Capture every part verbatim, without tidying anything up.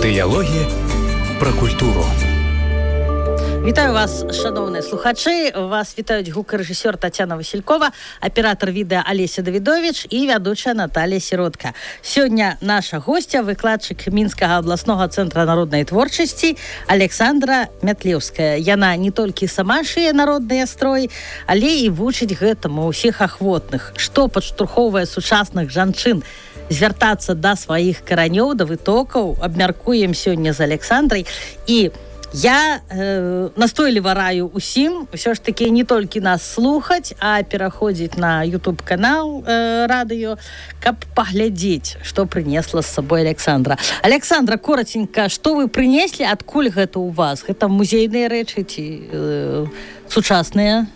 Дыялогі пра культуру. Вітаю вас, шановні слухачі. Вас вітають гукарэжысёр Тацяна Васількова, аператор відэа Алеся Давідович і вядучая Наталія Сіротка. Сёння наша гостя, выкладчык Мінскага абласнога цэнтра народнай творчасці Александра Мятлеўская. Яна не толькі сама шые народныя строі, але і вучыць гэтаму ўсіх ахвотных, што падштурхоўвае сучасных жанчын звяртацца да сваіх каранёў, да вытокаў. Абмяркуем сёння з Александрай. І я э, настойліва раю усім ўсё ж такі не толькі нас слухаць, а пераходзіць на YouTube-канал э, радыё, каб паглядзець, што прынесла з сабой Александра. Александра, коротенька, што вы прынеслі, адкуль гэта ў вас? Гэта музейныя рэчы ці э, сучасныя?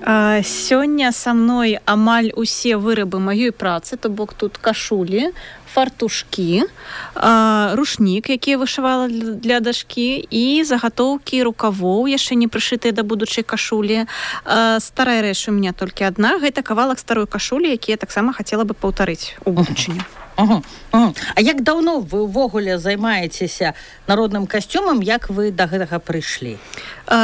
А, сёння са мной амаль усе вырабы маёй працы, то бок тут кашулі, фартушкі, а, рушнік, які вышывала для, для дашкі, і загатоўкі рукавоў, яшчэ не прышытыя да будучай кашулі. А, старая рэч у меня толькі адна, гэта кавалак старой кашулі, які я таксама хацела бы паўтарыць у будучыню. Угу, угу. А як даўно вы ўвогуле займаецеся народным касцюмам, як вы да гэтага прыйшлі?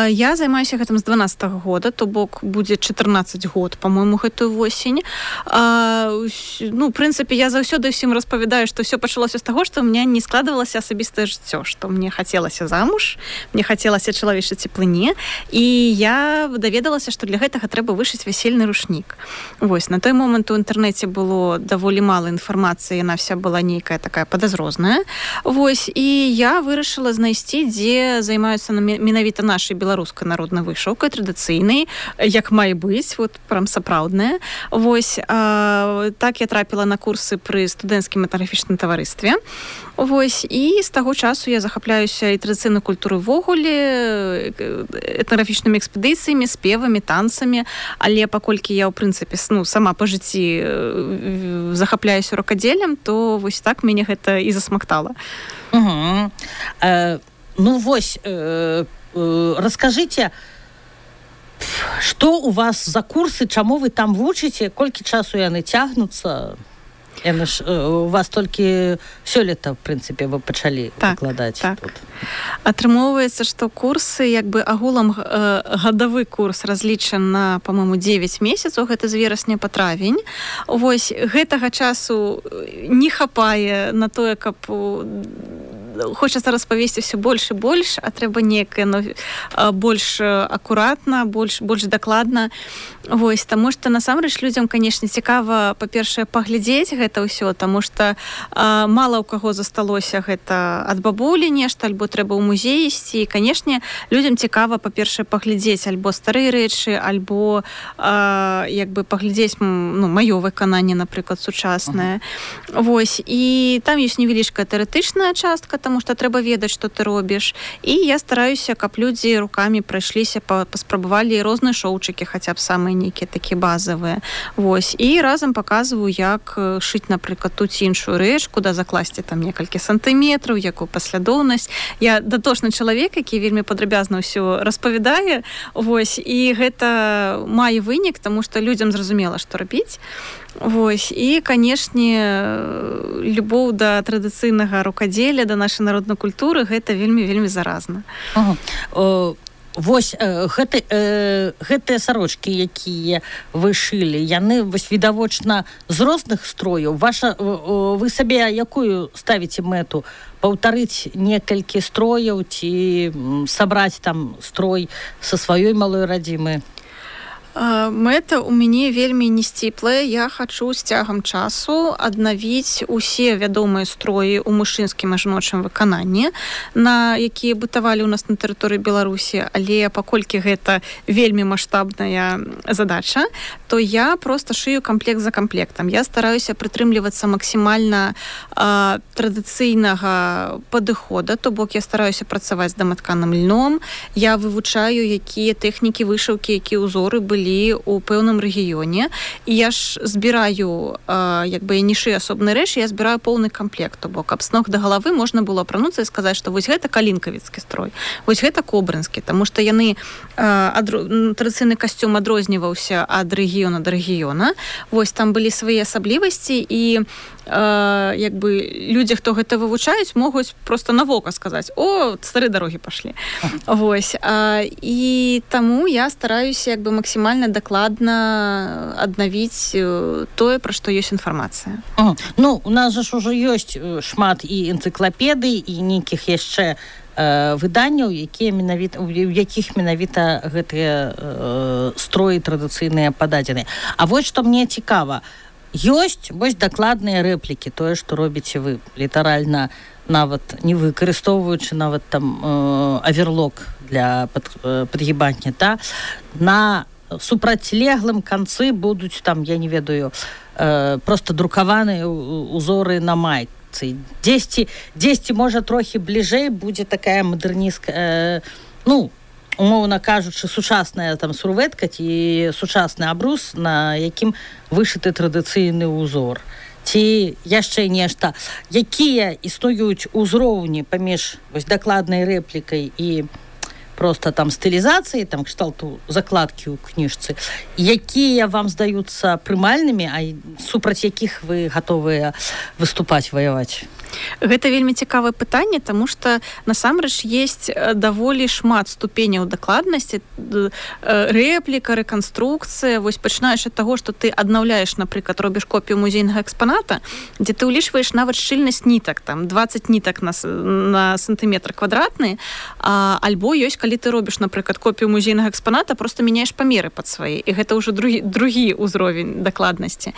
Я займаюся гэтым з дванаццатага года, то бок будзе чатырнаццаць год, па-мойму, гэтую восень. А, ну, в прынцыпе, я заўсёды ўсім распавядаю, што ўсё пачалося з таго, што ў меня не складвалася асабістае жыццё, што мне хацелася замуж, мне хацелася чалавечай цеплыні, і я даведалася, што для гэтага трэба вышыць вясельны рушнік. Вось, на той момант у інтэрнэце было даволі мала інфармацыі, яна вся была нейкая такая падазрозная. Вось, і я вырашыла знайсці, дзе займаюцца менавіта нашай беларускай народнай вышыўкай, традыцыйнай, як мае быць, вот прям сапраўдная. Вось, а, так я трапіла на курсы пры студэнцкім этнаграфічным таварыстве. Вось, і з таго часу я захапляюся і традыцыйнай культурай ввогуле, этнаграфічнымі экспедыцыямі, спевамі, танцамі, але паколькі я, ў прынцыпе, ну, сама па жыцці захапляюся рукадзеллем, то вось так мяне гэта і засмактала. Угу. Э, ну, вось, э, э, раскажыце, што у вас за курсы, чаму вы там вучыце, колькі часу яны цягнуцца? Яны ж, у вас толькі сёлета, в прынцыпе, вы пачалі так, выкладаць так. тут. Атрымоўваецца, што курсы, як бы агулам э, гадавы курс разлічан на, па-моему, дзевяць месяцаў, гэта з верасня па травень. Вось, гэтага часу не хапае на тое, каб хочацца распавесці ўсё больш і больш, а трэба некае ну, больш акуратна, больш, больш дакладна. Вось, таму што насамрэч людзям, канешне, цікава, па-першае, паглядзець гэта ўсё, таму што а, мала ў каго засталося гэта ад бабулі нешта, альбо трэба ў музей ісці. І, канешне, людзям цікава, па-першае, паглядзець альбо старыя рэчы, альбо а, як бы паглядзець ну, маё выкананне, напрыклад, сучаснае. Uh-huh. Вось, і там ёсць невялічкая тэарэтычная частка, таму што трэба ведаць, што ты робіш. І я стараюся, каб людзі рукамі прайшліся, паспрабавалі розныя шоўчыкі, хаця б самыя нейкія такія базавыя. Вось, і разам паказваю, як шыць, напрыклад, ту ці іншую рэч, куды закласці там некалькі сантыметраў, якую паслядоўнасць. Я датошны чалавек, які вельмі падрабязна ўсё распавядае. Вось, і гэта мае вынік, таму што людзям зразумела, што рабіць. Вось, і, канешне, любоў да традыцыйнага рукадзелля, да нашай народнай культуры, гэта вельмі-вельмі заразна. Ага. О, вось, э, гэты, э, гэтыя сарочкі, якія вы шылі, яны, вось, відавочна, з розных строяў. Ваша, э, вы сабе якую ставіце мэту? Паўтарыць некалькі строяў ці сабраць там строй са сваёй малой радзімы? Мэта ў мяне вельмі несціплая. Я хачу з цягам часу аднавіць усе вядомыя строі ў мужчынскім і жаночым выкананні, на якія бытавалі ў нас на тэрыторыі Беларусі, але паколькі гэта вельмі маштабная задача, то я проста шыю камплект за камплектам. Я стараюся прытрымлівацца максімальна а, традыцыйнага падыхода, то бок я стараюся працаваць з даматканым льном, я вывучаю, якія тэхнікі вышыўкі, якія ўзоры былі у пэўным рэгіёне, і я ж збіраю, э, як бы я не шыю асобныя рэчы, я збіраю поўны камплект, то бок аб з ног да галавы можна было апрануцца і сказаць, што вось гэта калінкавіцкі строй, вось гэта кобрынскі, таму што яны э, адро... традыцыйны касцюм адрозніваўся ад рэгіёна да рэгіёна, вось там былі свае асаблівасці, і як бы людзі, хто гэта вывучаюць, могуць просто на вока сказаць: о, стары дарогі пашлі. Вось. І таму я стараюся як бы максімальна дакладна аднавіць тое, пра што ёсць інфармацыя. Ну, у нас жа ж ужо ёсць шмат і энцыклапедый, і нейкіх яшчэ выданняў, якія менавіта, у якіх менавіта гэтыя э, строі традыцыйныя пададзены. А вось што мне цікава, ёсць вось дакладныя рэплікі, тое, што робіце вы, літаральна нават не выкарыстоўваючы нават там э, аверлок для пад, э, падгібання, та? На супрацьлеглым канцы будуць там, я не ведаю, э, просто друкаваныя узоры на майку. Дзесьці, дзесьці, можа, трохі бліжэй будзе такая мадэрністка, э, ну, умоўна кажучы, сучасная там сурветка ці сучасны абрус, на якім вышыты традыцыйны ўзор. Ці яшчэ нешта. Якія існуюць узроўні паміж вось дакладнай рэплікай і просто там стылізацыі, там кшталту закладкі ў кніжцы, якія вам здаюцца прымальнымі, а супраць якіх вы гатовыя выступаць, ваяваць? Гэта вельмі цікавае пытанне, таму што насамрэч ёсць даволі шмат ступеняў дакладнасці, рэпліка, рэканструкцыя, вось пачынаеш ад таго, што ты аднаўляеш, напрыклад, робіш копію музейнага экспаната, дзе ты ўлічваеш нават шчыльнасць нітак, там дваццаць нітак на, на сантыметр квадратны, а, альбо ёсць, калі ты робіш, напрыклад, копію музейнага экспаната, просто мяняеш памеры пад свае, і гэта ўжо другі, другі ўзровень дакладнасці.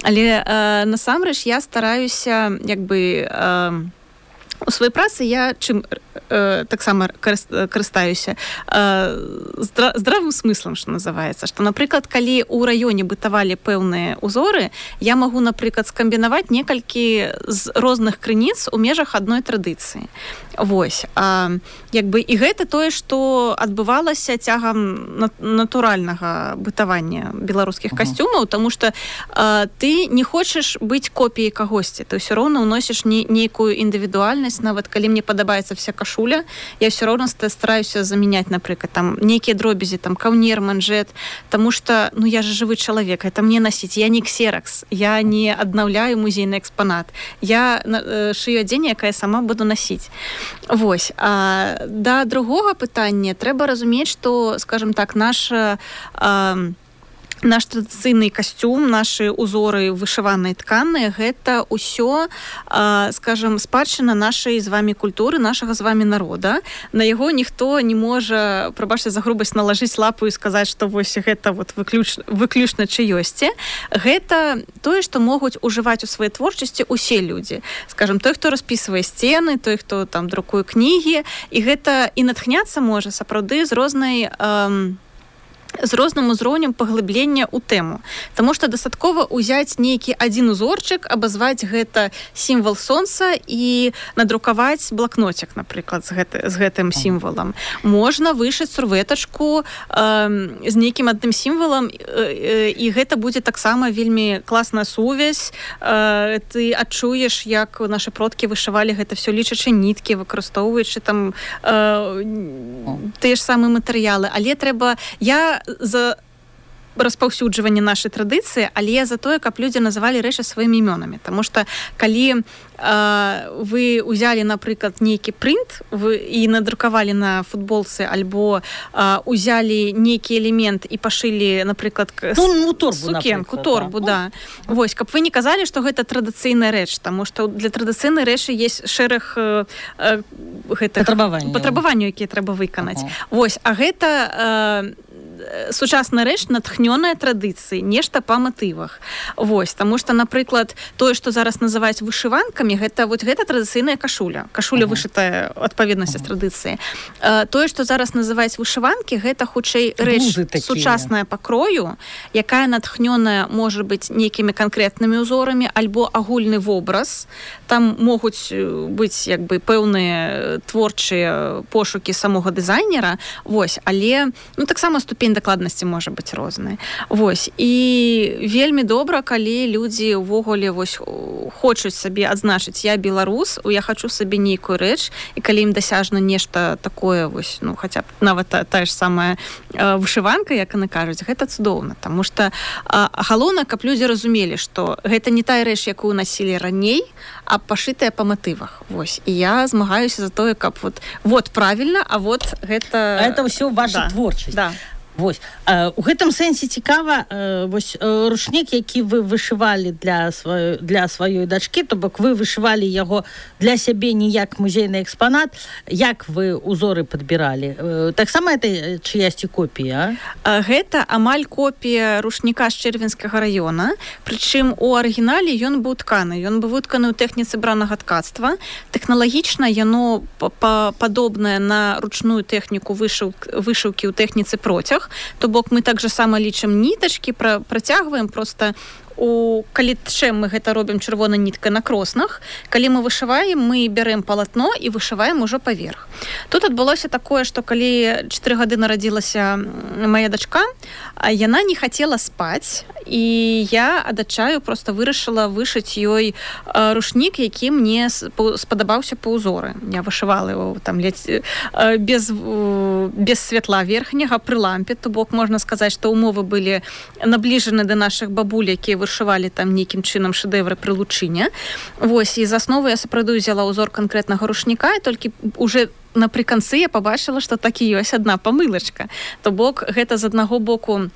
Але э, насамрэч я стараюся, як бы, у сваёй працы я чым э, таксама карыстаюся э, здра, здравым смыслам, што называецца, што, напрыклад, калі ў раёне бытавалі пэўныя ўзоры, я магу, напрыклад, скамбінаваць некалькі з розных крыніц у межах адной традыцыі. Вось. А, як бы, і гэта тое, што адбывалася цягам натуральнага бытавання беларускіх касцюмаў, таму што а, ты не хочаш быць копіяй кагосьці, ты ўсё роўна ўносіш не, нейкую індывідуальнасць, нават калі мне падабаецца вся кашуля, я ўсё роўна стараюся замяняць, напрыклад, там нейкія дробязі, там каўнер, манжет, таму што, ну, я же жывы чалавек, это мне насіць, я не ксеракс, я не аднаўляю музейны экспанат, я э, шыю адзенне, якае сама буду насіць. Вось. А да другога пытання трэба разумець, што, скажем так, наша а, наш традыцыйны касцюм, нашы ўзоры вышыванай тканыя, гэта ўсё, скажем, спадчына нашай з вамі культуры, нашага з вамі народа. На яго ніхто не можа, прабачце за грубасць, налажыць лапу і сказаць, што вось гэта вот выключна, выключна чыёсьці. Гэта тое, што могуць ужываць у сваёй творчасці усе людзі. Скажем, той, хто распісвае сцены, той, хто там друкуе кнігі, і гэта і натхняцца можа сапраўды з рознай эм, з розным узроўнем паглыблення ў тэму. Таму што дастаткова ўзяць нейкі адзін узорчык, абазваць гэта сімвал сонца і надрукаваць блакноцік, напрыклад, з, гэты, з гэтым сімвалам. Можна вышыць сурветачку э, з нейкім адным сімвалам, э, э, і гэта будзе таксама вельмі класная сувязь. Э, ты адчуеш, як нашы продкі вышывалі гэта все, лічачы ніткі, выкарыстоўваючы там э, тыя ж самыя матэрыялы. Але трэба... Я за распаўсюджванне нашай традыцыі, але за тое, каб людзі называлі рэчы сваімі імёнамі. Таму што калі вы узялі, напрыклад, нейкі прынт вы, і надрукавалі на футболцы, альбо а, узялі нейкі элемент і пашылі, напрыклад, ну, ну, торбу, сукенку, торбу, да. да. Вось, каб вы не казалі, што гэта традыцыйная рэч, таму што для традыцыйнай рэчы есть шэраг э, э, патрабаванняў, патрабаванняў, якія трэба выканаць. Ага. Вось, а гэта э, сучасная рэч натхнёная традыцыі, нешта па матывах. Вось, таму што, напрыклад, тое, што зараз называюць вышыванкамі, гэта вот гэта традыцыйная кашуля. Кашуля uh-huh. вышытая адпаведнасці uh-huh. з традыцыяй. Uh, тое, што зараз называюць вышыванкі, гэта хутчэй рэч сучасная па крою, якая натхнёная можа быць нейкімі канкрэтнымі ўзорамі альбо агульны вобраз. Там могуць быць як бы пэўныя творчыя пошукі самога дызайнера. Вось, але ну таксама ступень ступень дакладнасці можа быць розная. Вось. І вельмі добра, калі людзі ўвогуле вось хочуць сабе адзначыць: я беларус, я хачу сабе нейкую рэч, і калі ім дасяжна нешта такое, вось, ну, хаця б нават та, тая ж самая э, вышыванка, як яны кажуць, гэта цудоўна, таму што э, галоўна, каб людзі разумелі, што гэта не тая рэч, якую насілі раней, а пашытая па матывах. Вось. І я змагаюся за тое, каб вот, вот правильно, а вот гэта... А это ўсё ваша да. творчасць. Да. Вось. У гэтым сэнсе цікава, вось рушнік, які вы вышывалі для сваёй, для сваёй дачкі, то бок вы вышывалі яго для сябе не як музейны экспанат, як вы узоры падбіралі? Таксама это чыясьці копія? Гэта амаль копія рушніка з Чэрвенскага раёна, прычым у арыгінале ён быў тканы. Ён быў вытканы ў тэхніцы бранага ткацтва. Тэхналагічна яно падобнае на ручную тэхніку вышыўкі ў тэхніцы процяг. То бок мы так же само лічым нітачкі, пра, працягваем просто у калі тчэм мы гэта робім чырвонай ніткай на кроснах, калі мы вышываем, мы бярэм палатно і вышываем ужо паверх. Тут адбылося такое, што калі чатыры гады нарадзілася моя дачка, яна не хацела спаць, і я адачаю просто вырашыла вышыць ёй рушнік, які мне спадабаўся па ўзоры. Я вышывала его там ледзь без, без святла верхняга пры лампе, то бок можна сказаць, што умовы былі набліжаны да нашых бабуль, якія вышывалі там нейкім чынам шэдэвры пры лучыне. Вось, і з асновы я сапраўды ўзяла ўзор канкрэтнага рушніка, і толькі уже напрыканцы я пабачыла, што так і ёсць адна памылачка. То бок гэта з аднаго боку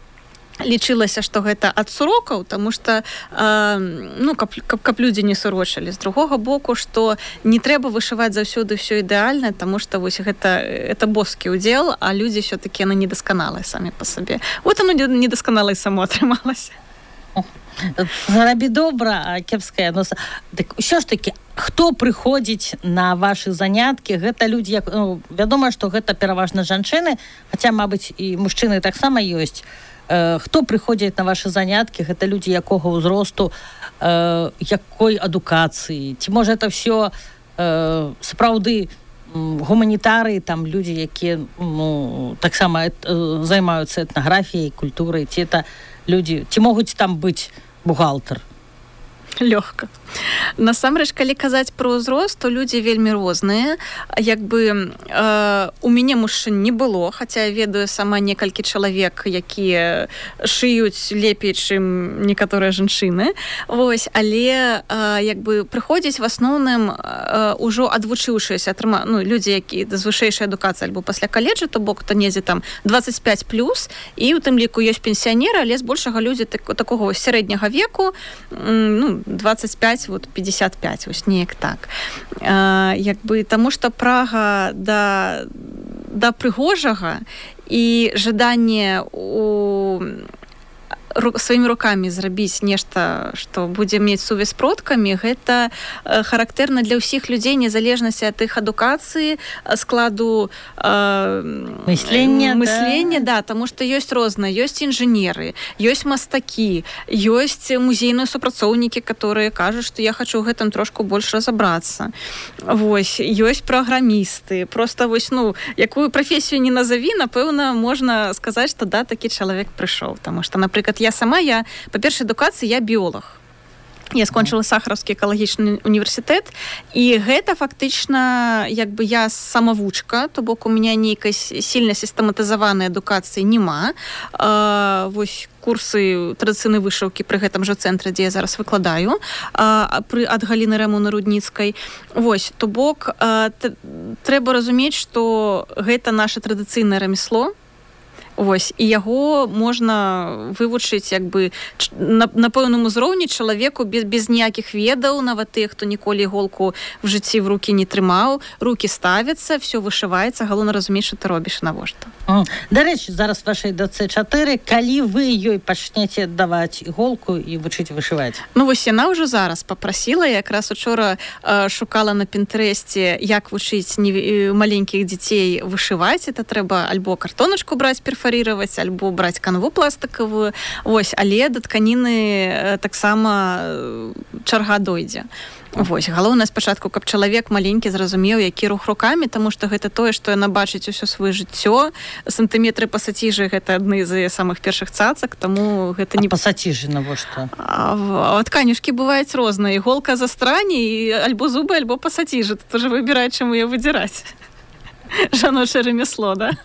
лічылася, што гэта ад сурокаў, таму што э, ну, каб, каб, каб людзі не сурочылі. З другога боку, што не трэба вышываць заўсёды ўсё ідэальна, таму што вось гэта, гэта боскі ўдзел, а людзі ўсё-такі яны недасканалыя самі па сабе. Вот оно недасканала і само атрымалася. Зарабі добра, а кепская носа. Так ўсё ж такі, хто прыходзіць на вашы заняткі? Гэта людзі, як, ну, вядома, што гэта пераважна жанчыны, хаця, мабыць, і мужчыны таксама ёсць. Э, хто прыходзіць на вашы заняткі? Гэта людзі якога ўзросту, э, якой адукацыі? Ці можа это ўсё э, сапраўды гуманітары, там людзі, якія ну, таксама э, займаюцца этнаграфіяй, культурай, ці это людзі, ці могуць там быць бухгалтар? Лёгка. Насамрэч, калі казаць пра ўзрост, то людзі вельмі розныя. Як бы э, у мяне мужчын не было, хаця я ведаю сама некалькі чалавек, якія шыюць лепей, чым некаторыя жанчыны. Вось, але э, як бы прыходзіць в асноўным э, ужо адвучыўшыся атрыма, ну, людзі, якія з вышэйшай адукацыі альбо пасля каледжа, то бок то недзе там дваццаць пяць плюс, і у тым ліку ёсць пенсіянеры, але збольшага людзі так, такога сярэдняга веку, ну, двадцать пять, вот пятьдесят пять, вось неяк так. А, як бы, таму што прага да, да прыгожага і жаданне у сваімі рукамі зрабіць нешта, што будзе мець сувязь з продкамі, гэта характэрна для ўсіх людзей, незалежнасці ад іх адукацыі, складу э, мыслення, мыслення, да, да, таму што ёсць розныя, ёсць інжынеры, ёсць мастакі, ёсць музейныя супрацоўнікі, которые кажуць, што я хачу ў гэтым трошку больш разабрацца. Вось, ёсць праграмісты. Просто вось, ну, якую прафесію не назаві, напэўна, можна сказаць, што да, такі чалавек прыйшоў, таму што, напрыклад, я сама, я, па першай адукацыі, я біолог. Я скончыла Сахаровскі экалагічны універсітэт, і гэта фактычна, як бы я самавучка, то бок у меня нейкай сильна сістэматызаванай адукацыі няма. А, вось курсы традыцыйнай вышыўкі пры гэтым жа цэнтры, дзе я зараз выкладаю, а, пры, ад Галіны Рэмоны Рудніцкай. Вось, то бок а, т, трэба разумець, што гэта наша традыцыйнае рамясло. Вось, і яго можна вывучыць як бы на, на пэўным узроўні чалавеку без, без ніякіх ведаў, нават тых, хто ніколі іголку в жыцці в рукі не трымаў, рукі ставяцца, все вышываецца, галоўна разумець, што ты робіш навошта. Дарэчы, зараз вашай дачцэ чатыры, калі вы ёй пачнеце даваць іголку і вучыць вышываць? Ну вось яна ўжо зараз папрасіла, якраз учора э, шукала на Пінтрэсце, як вучыць не, маленькіх дзяцей вышываць, это трэба альбо картоначку браць перфарировать, перфарировать, альбо браць канву пластикавую, вось, але да тканіны таксама чарга дойдзе. Вось, галоўнае спачатку, каб чалавек маленькі зразумеў, які рух рукамі, таму што гэта тое, што яна бачыць усё сваё жыццё. Сантыметры пасаціжы гэта адны з самых першых цацак, таму гэта не... А пасаціжы навошта? А, а тканюшкі бываюць розныя. Іголка застране, і альбо зубы, альбо пасаціжы. Тут уже выбірай, чаму яе выдзіраць. Жаночае ремесло, да?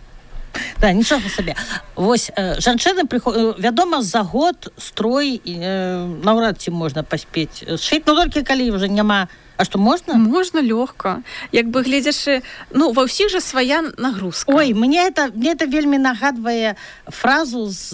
Да, нічога сабе. Вось, э, жанчыны прыходзяць, вядома, за год строй э, наўрад ці можна паспець сшыць, но толькі калі уже няма. А што, можна? Можна лёгка. Як бы гледзячы, ну, ва ўсіх жа свая нагрузка. Ой, мне это, мне это вельмі нагадвае фразу з,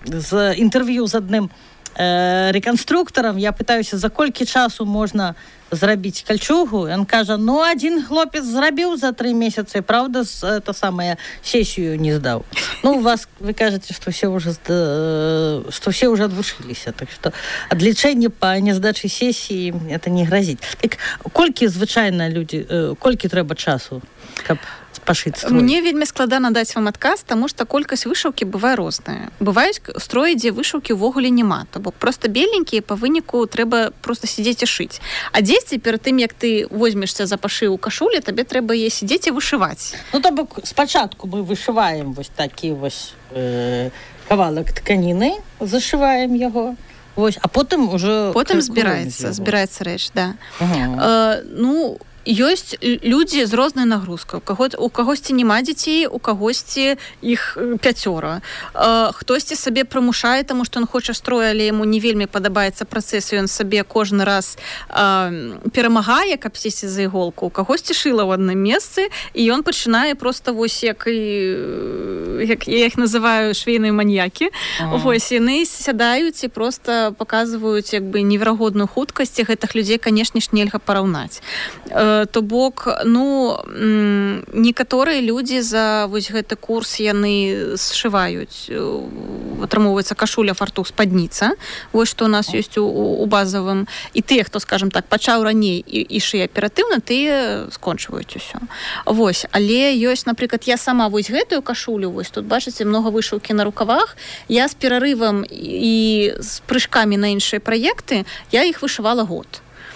з інтэрв'ю з адным э, рэканструктарам. Я пытаюся, за колькі часу можна зрабіць кальчугу, ён кажа, ну, адзін хлопец зрабіў за тры месяцы, правда, это самае, сесію не здаў. Ну, у вас, вы кажаце, што все уже, што все уже адвучыліся, так што адлічэнне па няздачы сесіі это не грозіць. Так, колькі звычайна людзі, колькі трэба часу, каб пашыць строй? Мне вельмі складана даць вам адказ, таму што колькасць вышыўкі бывае розная. Бываюць строі, дзе вышыўкі ўвогуле няма, то бок проста беленькія, па выніку трэба проста сидзець і шыць. А дзесьці перад тым, як ты возьмешся за пашыў кашулі, табе трэба е сидзець і вышываць. Ну, то бок спачатку мы вышываем вось такі вось э, кавалак тканіны, зашываем яго, вось, а потым уже... Потым збіраецца, збіраецца рэч, да. Ага. Э, ну, ёсць людзі з рознай нагрузкай. У каго, у кагосьці няма дзяцей, у кагосьці іх пяцёра. Э, хтосьці сабе прымушае, таму што ён хоча строй, але яму не вельмі падабаецца працэс, і ён сабе кожны раз э, перамагае, каб сесці за іголку. У кагосьці шыла ў адным месцы, і ён пачынае проста вось як і як я іх называю швейныя маньякі. Ага. Вось яны сядаюць і проста паказваюць як бы неверагодную хуткасць, і гэтых людзей, канешне ж, нельга параўнаць. То бок, ну, некаторыя людзі за вось гэты курс яны сшываюць, атрымоўваецца кашуля, фартух, спадніца, вось што у нас ёсць у, у базавым, і тыя, хто, скажем так, пачаў раней і, і шые аператыўна, тыя скончваюць усё. Вось, але ёсць, напрыклад, я сама вось гэтую кашулю, вось тут бачыце многа вышыўкі на рукавах, я з перарывам і з прыжкамі на іншыя праекты, я іх вышывала год.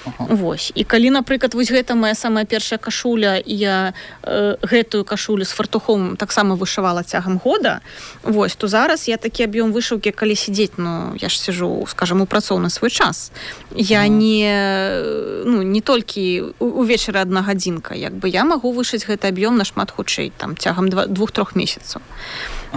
Uh-huh. Вось. І калі, напрыклад, вось гэта моя самая першая кашуля, і я э, гэтую кашулю з фартухом таксама вышывала цягам года, вось, то зараз я такі аб'ём вышыўкі, калі сидзець, ну, я ж сижу, скажем, у працоўны свой час. Я uh-huh. не, ну, не толькі увечары адна гадзінка, як бы я магу вышыць гэты аб'ём нашмат хутчэй, там, цягам двух-трох месяцаў.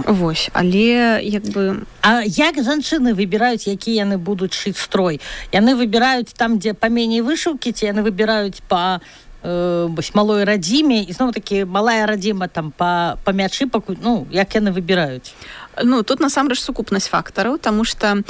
Вось, але як бы... А як жанчыны выбіраюць, які яны будуць шыць строй? Яны выбіраюць там, дзе паменей вышыўкі, ці яны выбіраюць па э, малой радзіме, і зноў такі малая радзіма там па, па мячы, па, ну, як яны выбіраюць? Ну, тут насамрэч сукупнасць фактараў, таму што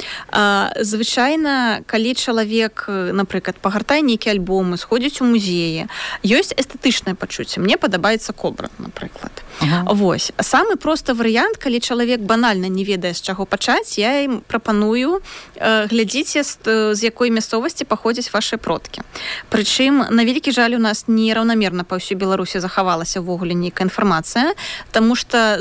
звычайна, калі чалавек, напрыклад, пагартае нейкі альбом, сходзіць у музеі, ёсць эстэтычнае пачуцце. Мне падабаецца кобра, напрыклад. Ага. Вось. Самы просты варыянт, калі чалавек банальна не ведае, з чаго пачаць, я ім прапаную э, глядзіце, з, з якой мясцовасці паходзяць вашыя продкі. Прычым, на вялікі жаль, у нас нераўнамерна па ўсёй Беларусі захавалася ўвогуле нейкая інфармацыя, таму што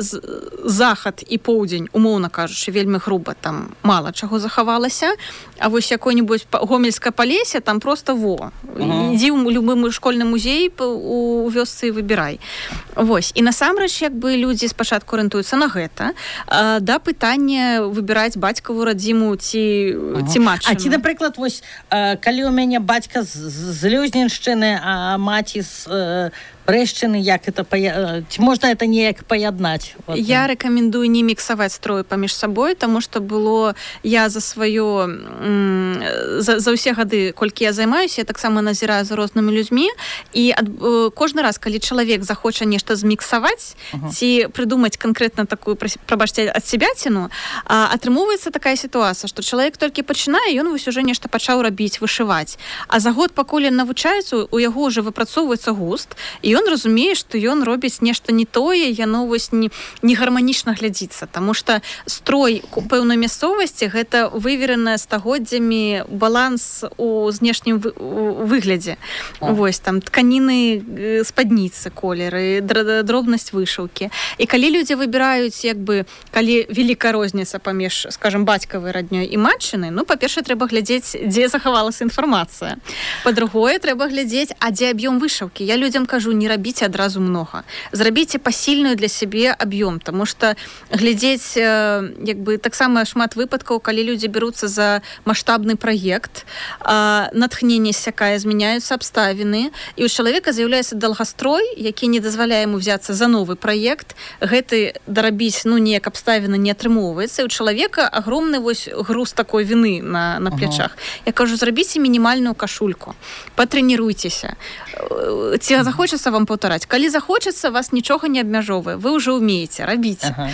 захад і поўдзень, умоўна кажучы, вельмі груба, там мала чаго захавалася, а вось якое-нибудь гомельскае Палесе, там просто во. Ага. Ідзі ў любы школьны музей у вёсцы і выбірай. Вось. І насамрэч, як бы людзі спачатку арыентуюцца на гэта, а, да пытання выбіраць бацькаву радзіму ці, ага. ці матчыну. А ці, напрыклад, вось, калі ў мяне бацька з, з Лёзненшчыны, а маці з Брэшчыны, як это пая... ці можна это неяк паяднаць? Вот. Я рэкамендую не міксаваць строй паміж сабой, таму што было я за сваё за, за ўсе гады, колькі я займаюся, я таксама назіраю за рознымі людзьмі, і ад, кожны раз, калі чалавек захоча нешта зміксаваць, uh-huh. ці прыдумаць канкрэтна такую, прабачце, адсябяціну, атрымоўваецца такая сітуацыя, што чалавек толькі пачынае, ён вось уже нешта пачаў рабіць, вышываць. А за год, пакуль ён навучаецца, у яго ўжо выпрацоўваецца густ, і ён разумее, што ён робіць нешта не тое, яно вось не, не гарманічна глядзіцца, таму што строй пэўнай мясцовасці гэта вывереная стагоддзямі баланс у знешнім вы, у выглядзе. А. Вось там тканіны, спадніцы, колеры, дробнасць вышыўкі. І калі людзі выбіраюць, як бы, калі вялікая розніца паміж, скажем, бацькавай раднёй і матчыны, ну, па-першае, трэба глядзець, дзе захавалася інфармацыя. Па-другое, трэба глядзець, а дзе аб'ём вышыўкі. Я людзям кажу, не рабіце адразу многа. Зрабіце пасільную для сябе аб'ём, таму што глядзець, як бы, таксама шмат выпадкаў, калі людзі бяруцца за маштабны праект, натхненне сякае, змяняюцца абставіны, і ў чалавека з'яўляецца даўгастрой, які не дазваляе яму взяцца за новы праект, гэты дарабіць, ну, неяк абставіна не атрымоўваецца, і у чалавека агромны вось груз такой віны на, на плячах. Ага. Я кажу, зрабіце мінімальную кашульку, патрэніруйцеся. Ці захочацца вам паўтараць? Калі захочацца, вас нічога не абмяжоўвае. Вы ўжо ўмееце, рабіце. Ага.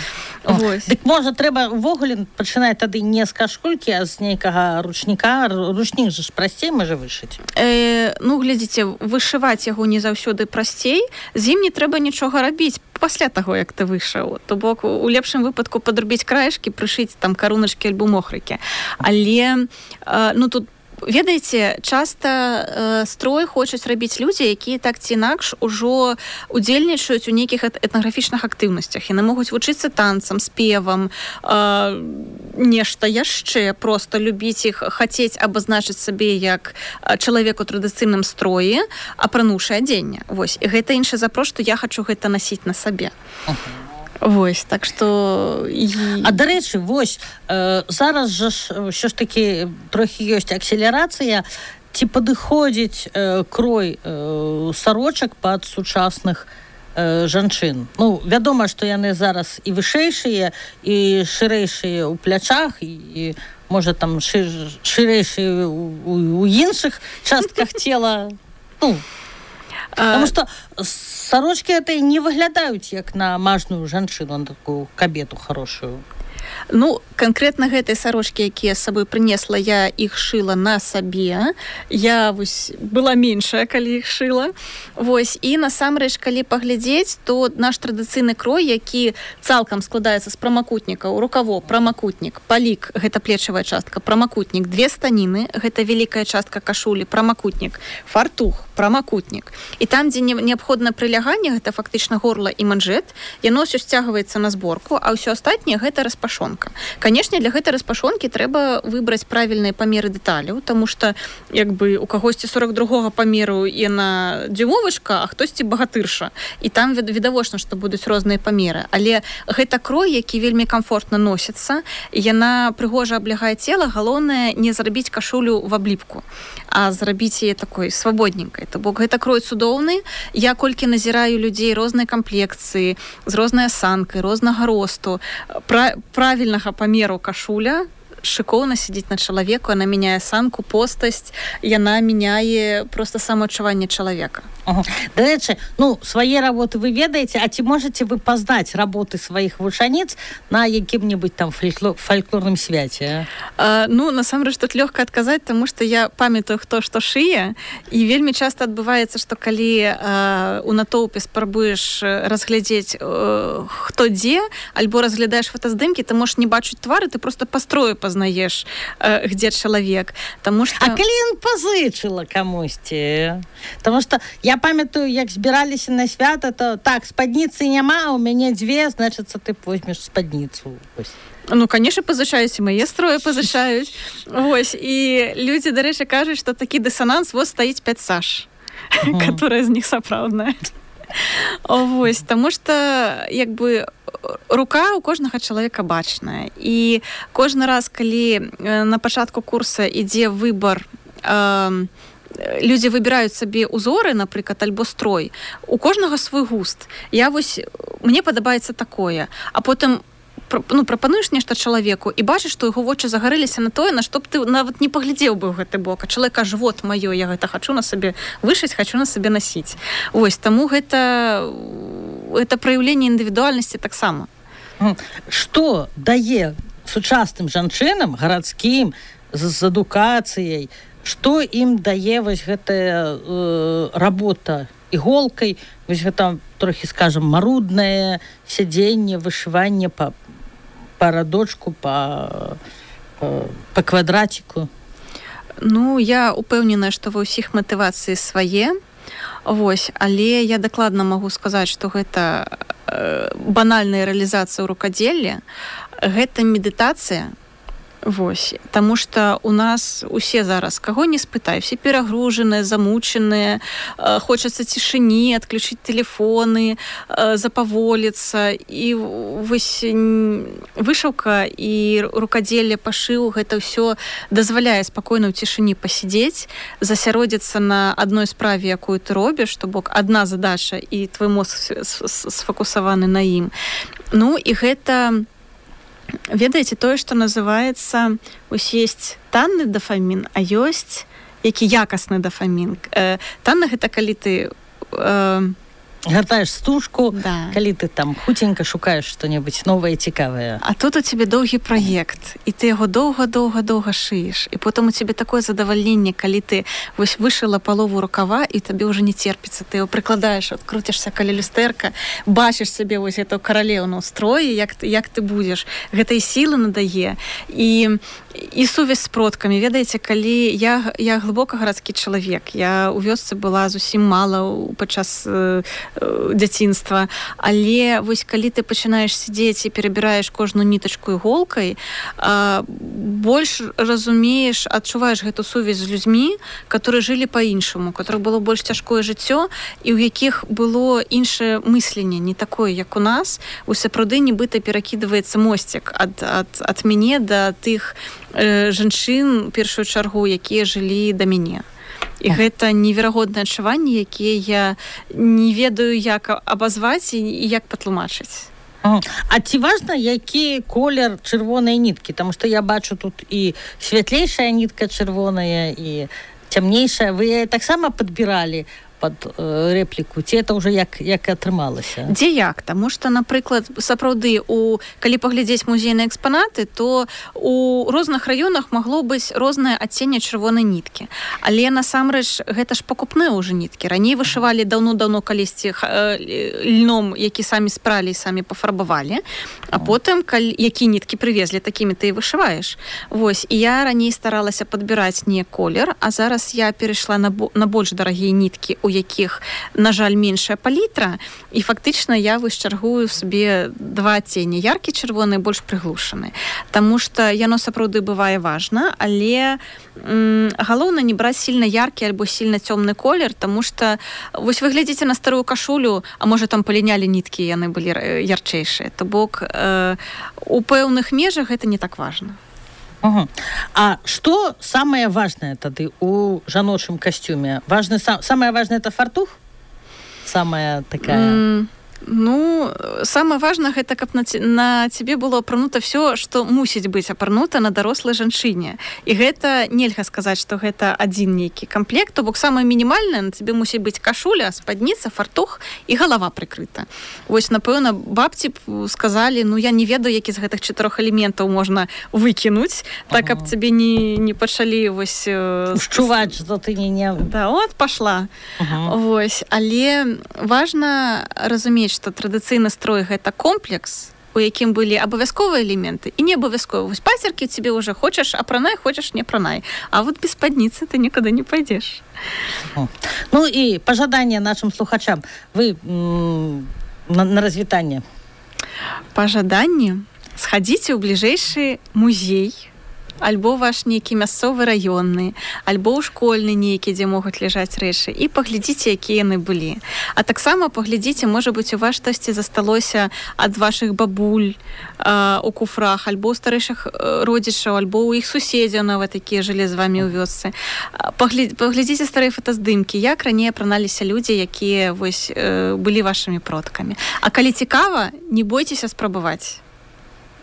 Дык, можа, трэба ўвогуле пачынаць тады не з кашулькі, а з нейкага ручніка. Ручнік же ж прасцей можа вышыць. Э, ну, глядзіце, вышываць яго не заўсёды прасцей. З ім не трэба нічога рабіць пасля таго, як ты вышаў. То бок, у лепшым выпадку падрубіць краешкі, прышыць там каруначкі альбо мохрыкі. Але, э, ну, тут ведаеце, часта э, строй хочуць рабіць людзі, якія так ці інакш ужо удзельнічаюць у нейкіх этнаграфічных актыўнасцях. Яны могуць вучыцца танцам, спевам, э, нешта яшчэ, проста любіць іх, хацець абазначыць сабе як чалавек у традыцыйным строі, апрануўшы адзенне. Вось. І гэта іншы запрос, што я хачу гэта насіць на сабе. Uh-huh. Вось, так што... А, дарэчы, вось, э, зараз жа ж ўсё ж такі трохі ёсць акселерацыя. Ці падыходзіць э, крой э, сарочак пад сучасных э, жанчын? Ну, вядома, што яны зараз і вышэйшыя, і шырэйшыя ў плячах, і, і можа, там шыр, шырэйшыя ў, у, у іншых частках цела. Ну, потому что сорочки это не выглядаюць як на мажную жанчыну, на такую кабету хорошую. Ну, канкрэтна гэтай сарочкі, якія з сабой прынесла, я іх шыла на сабе. Я вось была меншая, калі іх шыла. Вось. І насамрэч, калі паглядзець, то наш традыцыйны крой, які цалкам складаецца з прамакутнікаў, рукаво, прамакутнік, палік, гэта плечавая частка, прамакутнік, две станіны, гэта вялікая частка кашулі, прамакутнік, фартух, прамакутнік. І там, дзе неабходна прыляганне, гэта фактычна горла і манжэт, яно ўсё сцягваецца на зборку, а ўсё астатняе гэта распашонка. Канешне, для гэтай распашонкі трэба выбраць правільныя памеры дэталяў, таму што, як бы, у кагосьці сорок другога памеру яна дзюмовачка, а хтосьці багатырша. І там відавочна, што будуць розныя памеры. Але гэта крой, які вельмі камфортна носіцца, яна прыгожа аблягае цела, галоўнае не зрабіць кашулю в абліпку, а зрабіць яе такой свабодненькай. То бок гэта крой цудоўны. Я колькі назіраю людзей рознай камплекцыі, з рознай асанкай, рознага росту, пра правільнага памеру кашуля, шыкоўна сядзіць на чалавеку, яна мяняе санку, постасць, яна мяняе проста самаадчуванне чалавека. Ага. Дарэчы, ну, свае работы вы ведаеце, а ці можаце вы пазнаць работы сваіх вучаніц на якім-небудзь там фольклор, фольклорным свяце? А, ну, насамрэч, тут лёгка адказаць, таму што я памятаю, хто што шые, і вельмі часта адбываецца, што калі а, у натоўпе спрабуеш разглядзець, а, хто дзе, альбо разглядаеш фотаздымкі, ты можаш не бачыць твары, ты просто па строю пазнаеш, а, где чалавек. Таму што... А калі ён пазычыла камусьці? Таму што я памятаю, як збіраліся на свята, то так, спадніцы няма, у мяне дзве, значыцца, ты возьмеш спадніцу. Ну, конечно, пазычаюць, і мае строі пазычаюць. Вось, і людзі, дарэчы, кажуць, што такі дысананс, вот стаіць пяць саш, uh-huh. которая з них сапраўдная. Вось, таму што, як бы, рука у кожнага чалавека бачная. І кожны раз, калі на пачатку курса ідзе выбар, э, людзі выбіраюць сабе узоры, напрыклад, альбо строй, у кожнага свой густ. Я вось, мне падабаецца такое, а потым ну, прапануеш нешта чалавеку і бачыш, што яго вочы загарэліся на тое, на што б ты нават не паглядзеў бы ў гэты бок. А чалавек кажа, вот маё, я гэта хачу на сабе вышыць, хачу на сабе насіць. Вось, таму гэта, гэта праяўленне індывідуальнасці таксама. Што дае сучасным жанчынам, гарадскім, з, з адукацыяй, што ім дае вось гэтая э, работа іголкай, вось гэта трохі, скажем, маруднае сядзенне, вышыванне па, па радочку, па, па, па квадраціку. Ну, я упэўненая, што ва ўсіх матывацыі свае. Вось, але я дакладна магу сказаць, што гэта э, банальная рэалізацыя ў рукадзеллі, гэта медытацыя. Вось, таму што у нас усе зараз, каго не спытай, все перагружаныя, замучаныя, э, хочацца цішыні, адключыць тэлефоны, э, запаволіцца. І вось вышыўка і рукадзелле, пашыў, гэта ўсё дазваляе спакойна ў цішыні пасядзець, засяродзіцца на адной справе, якую ты робіш, то бок адна задача, і твой мозг сфокусаваны на ім. Ну, і гэта... Ведаеце, тое, што называецца, ось ёсць танны дафамін, а ёсць які якасны дафамін. Э, танны гэта калі ты... Э, гатаеш стужку, да. Калі ты там хутенька шукаеш што-небудзь новае, цікавае. А тут у цябе доўгі праект, і ты яго доўга-доўга-доўга шыеш. І потым у цябе такое задавальненне, калі ты вось вышыла палову рукава, і табе ўжо не терпіцца. Ты яго прыкладаеш, адкруцішся каля люстэрка, бачыш сабе вось эту каралеўну строі, як, як ты будзеш. Гэта і сілы надае, і, і сувязь з продкамі. Ведаеце, калі я, я глыбока гарадскі чалавек, я ў вёсцы была зусім мала падчас дзяцінства, але вось калі ты пачынаеш сидзець і перабіраеш кожную нітачку іголкай, больш разумееш, адчуваеш гэту сувязь з людзьмі, которые жылі па-іншаму, которых было больш цяжкое жыццё і ў якіх было іншае мысленне, не такое, як у нас. У сапраўды нібыта перакідваецца мосцік ад, ад, ад мяне да тых э, жанчын, першую чаргу, якія жылі да мяне. І гэта неверагоднае адчуванне, якія я не ведаю, як абазваць і як патлумачыць. А ці важна, які колер чырвонай ніткі? Таму што я бачу тут і святлейшая нітка чырвоная, і цямнейшая. Вы яе таксама падбіралі пад э, рэпліку, ці это ўжо як, як атрымалася? Дзе як? Таму што, напрыклад, сапраўды, у, калі паглядзець музейныя экспанаты, то у розных раёнах магло быць рознае адценне чырвонай ніткі. Але, насамрэч, гэта ж пакупныя ўжо ніткі. Раней вышывалі даўно-даўно калісьці э, льном, які самі спралі і самі пафарбавалі, а потым, калі, які ніткі прывезлі, такімі ты і вышываеш. Вось, і я раней старалася падбіраць не колер, а зараз я перайшла на, на больш дарагія ніткі, у якіх, на жаль, меншая палітра, і фактычна я вось чаргую сабе два адценні, яркі чырвоны, больш прыглушаны. Таму што яно сапраўды бывае важна, але м, галоўна не браць сильна яркі альбо сильна цёмны колер, таму што вось вы глядзіце на старую кашулю, а можа там палінялі ніткі, яны былі ярчэйшыя. То бок э, у пэўных межах гэта не так важна. Угу. А што самае важнае тады у жаночым касцюме? Важны, сам, самае важнае это фартух? Самая такая... Mm. Ну, самае важнае гэта, каб на, на цябе было апранута все, што мусіць быць апранута на дарослай жанчыне. І гэта нельга сказаць, што гэта адзін нейкі камплект, то бок самае мінімальнае, на цябе мусіць быць кашуля, спадніца, фартух і галава прыкрыта. Вось, напэўна, бабці б сказалі, ну, я не ведаю, які з гэтых чатырох элементаў можна выкінуць, так, каб ага. цябе не, не пачалі вось... Ушчуваць, што ты не... не... Да, от, пашла. Ага. Вось, але важна разумець, што традыцыйны строй гэта комплекс, у якім былі абавязковыя элементы і не абавязковыя. Вось пацеркі цябе ўжо хочаш апранай, хочаш не апранай. А вот без спадніцы ты нікуды не пойдзеш. Ну і пажаданне нашым слухачам. Вы м- на, на развітанне. Пажаданне? Схадзіце ў бліжэйшы музей, альбо ваш нейкі мясцовы раённы, альбо ў школьны нейкі, дзе могуць ляжаць рэчы, і паглядзіце, якія яны былі. А таксама паглядзіце, можа быць, у вас штосьці засталося ад вашых бабуль э, у куфрах, альбо ў старэйшых родзічаў, альбо ў іх суседзяў нават, якія жылі з вамі ў вёсцы. Паглядзіце, паглядзіце старыя фотаздымкі, як раней апраналіся людзі, якія вось, э, былі вашымі продкамі. А калі цікава, не бойцеся спрабаваць.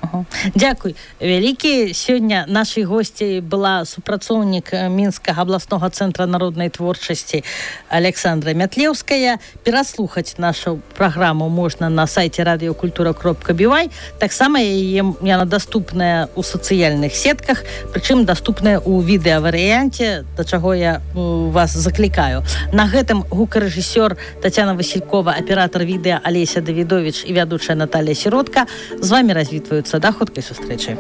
Ага. Дзякуй вялікі. Сёння нашай госцяй была супрацоўнік Мінскага абласнога цэнтра народнай творчасці Александра Мятлеўская. Пераслухаць нашу праграму можна на сайце радыёкультура кропка би вай. Таксама яе яна даступная ў сацыяльных сетках, прычым даступная ў відэаварыянце, да чаго я вас заклікаю. На гэтым гукарэжысёр Тацяна Васількова, аператар відэа Алеся Давідовіч і вядучая Наталія Сіротка з вамі развітваюцца. Да хуткай сустрэчы.